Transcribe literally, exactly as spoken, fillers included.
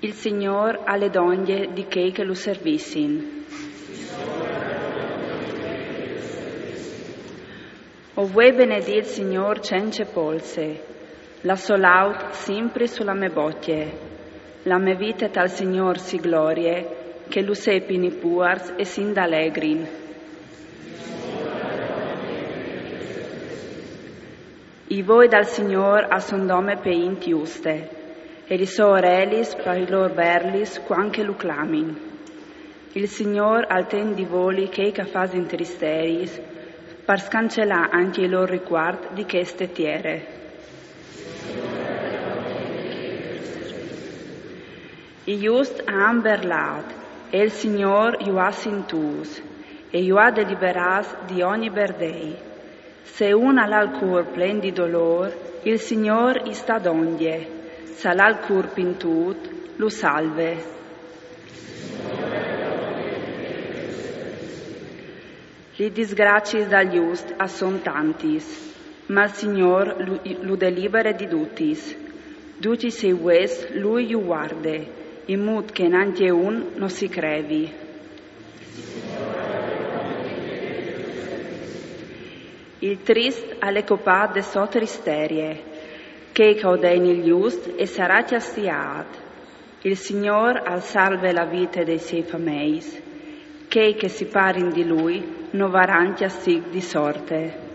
Il Signôr al è dongje di chei che lu servissin. O vuei benedî il Signôr cence polse, la sô laud simpri su la mê bocje. La mê vite tal Signôr si glorie, che lu sepin i puars e s'indalegrin. I voi dal Signôr a son dome pe int juste, e li sô orelis par i lôr berlis cuant che lu clamin. Il Signôr al ten di voli chei che a fasin tristeris, par scancelâ ancje i lôr ricuart di cheste tiere. I just a àn berlât, e il Signôr ju à sintûts, e ju à deliberâts di ogni berdei. Se un al à il cûr plen di dolôr, il Signôr i sta dongje, se al à il cûr pintût, lu salve. Li disgraciis dal just a son tantis, ma il Signôr lu, lu delibere di dutis. Ducj i siei vues lui ju vuarde, in mût che nancje un no si crevi. Il trist al è copât de sô tristerie, chei che a odein il just e sarà cjastiât. Il Signôr al salve la vite dai siei fameis, chei che si parin di lui no varan cjastig di sorte.